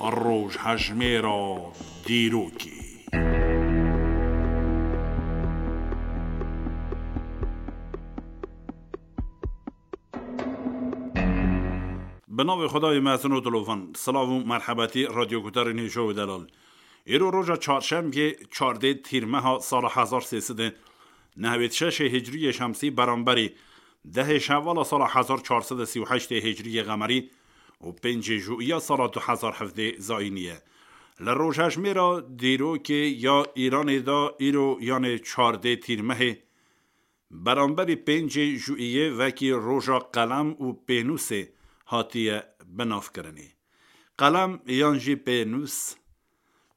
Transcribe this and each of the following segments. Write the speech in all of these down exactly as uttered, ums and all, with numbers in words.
Rojhejmêra dîrokê. Bi navê Xwedayê mezin û dilovan, silav û merhebetî radyoguhdarên hêja û delal. Îro roja çarşembiyê, çardê tîrmeha sala hezar sê sed û nehwêd şeşê hicriyê şemsî, beramberî dehê şevala sala hezar çar sed û sî û heştê hicriyê qemerî û pêncê jûiya sala du hezar hevdê zayînî ye. Li rojhejmêra dîrokê ya Îranê de îro, yanê çardê tîrmehê, beramberî pêncê jûiyê wekî roja qelem û pênûsê hatiye binavkirinê. Qelem yan jî pênûs,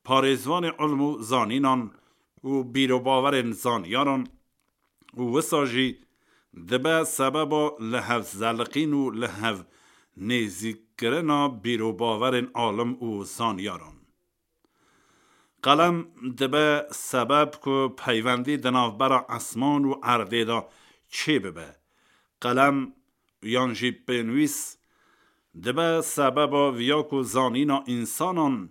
parêzvanê ilm û zanînan û bîrobawerên zanyaran û wisa jî dibe sebeba li hev zeliqîn û li hev nêzîkkirina bîrobawerên alim û zanyaran. Qelem dibe sebeb ku peywendî di navbera esman û erdê de çêbibe. Qelem yan jî pênwîs dibe sebeba viya ku zanîna însanan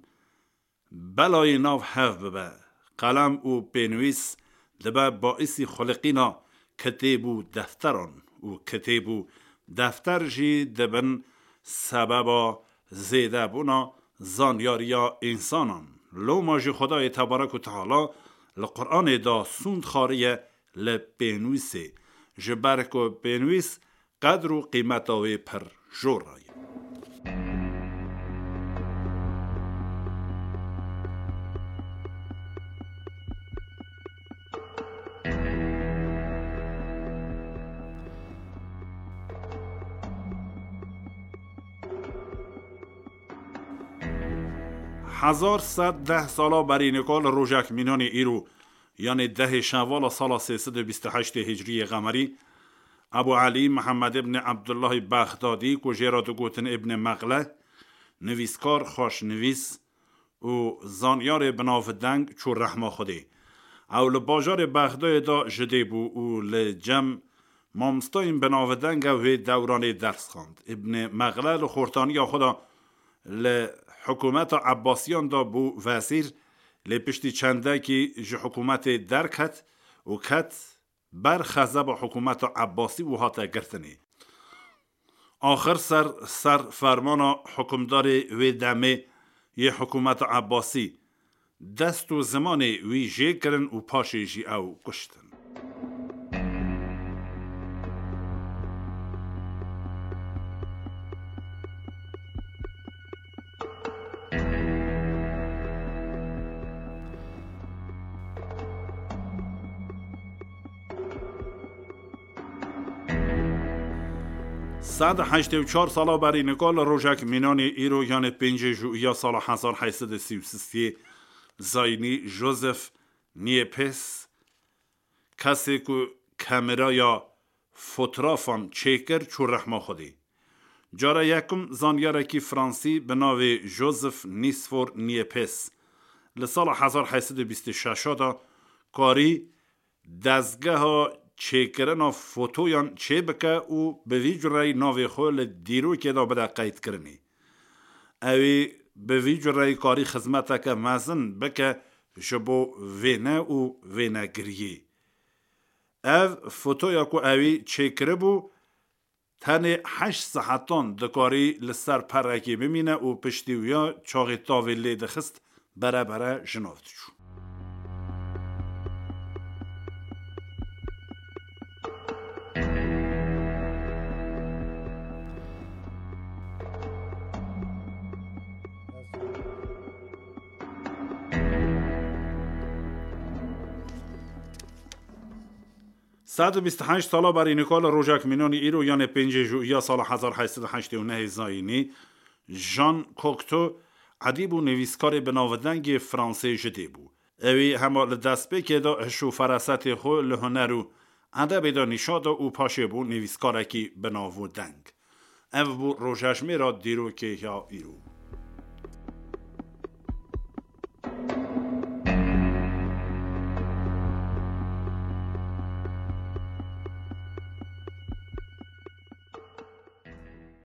belayê nav hev bibe. Qelem û pênwîs dibe baîsî xuliqîna kitêb û defteran û kitêb û defter jî dibin sebeba zêdebûna zanyariya însanan. Loma jî Xwedayê Tebarek û Teala li Quranê de sûnd xariye li pênwîsê, ji ber ku pênwîs qedr û qîmeta wê pir jor e. Hezar sed deh sala berî nika li rojek mînanê îro, yanê dehê şevala sala sê sed û bîst û heştê hicriyê qemerî, Ebû Elî Mihemed îbnê Ebdullahî Bexdadî, ku jê re digotin Îbnê Meqle, nivîskar, xweşnivîs û zanyarê binavdeng çû rehma Xwedê. Ew li bajarê Bexdayê de ji dê bû û li cem mamostayên binavdeng ew hê dewranê ders xwend. Îbnê Meqle li xortaniya xwe de li hikûmeta Ebbasiyan de bû wezîr, lê piştî çendekî ji hikûmetê derket û ket ber xezeba hikûmeta Ebbasî û hate girtinê. Axir ser, ser fermana hikûmdarê wê demê yê hikûmeta Ebbasî, dest û zimanê wî jê kirin û paşê jî ew kuştin. Sed heştê û çar sala berî nika li rojek mînanê îro, yanê pêncê jûiya sala hezar heyt sed û sî û sisê zayînî, Joseph Niepce, kesê ku kameraya fotografan çêkir, çû rehma Xwedê. Cara yekum zanyarekî fransî bi navê Joseph Nicephore Niepce li sala hezar heyt sed û bîst û şeş de karî dezgeha çêkirina fotoyan çêbike û bi vî cureyî navê xwe li dîrokê de bide qeydkirinê. Ew ê bi vî cureyî karî xizmeteke mezin bike ji bo vêne û vênegiriyê. Ev fotoya ku ewî çêkiribû, tenê heşt saetan dikarî li ser perekê bimîne û piştî wiya çaxê tavê lê dixist, bere bere ji nav diçû. Sed û bîst û heşt sala berî nika li rojek mînanî îro, yanê pêncê jûiya sala hezar heyt sed û heştê û nehê zayînî, Jean Cocteau, edîb û nivîskarê binavdengê Fransê ji dê bû. Ewî hema li destpêkê de hiş û ferasetê xwe li huner û edebê de nîşa da û paşê bû nivîskarekî binavdeng. Ev bû rojejmêra dîrokê ya îro.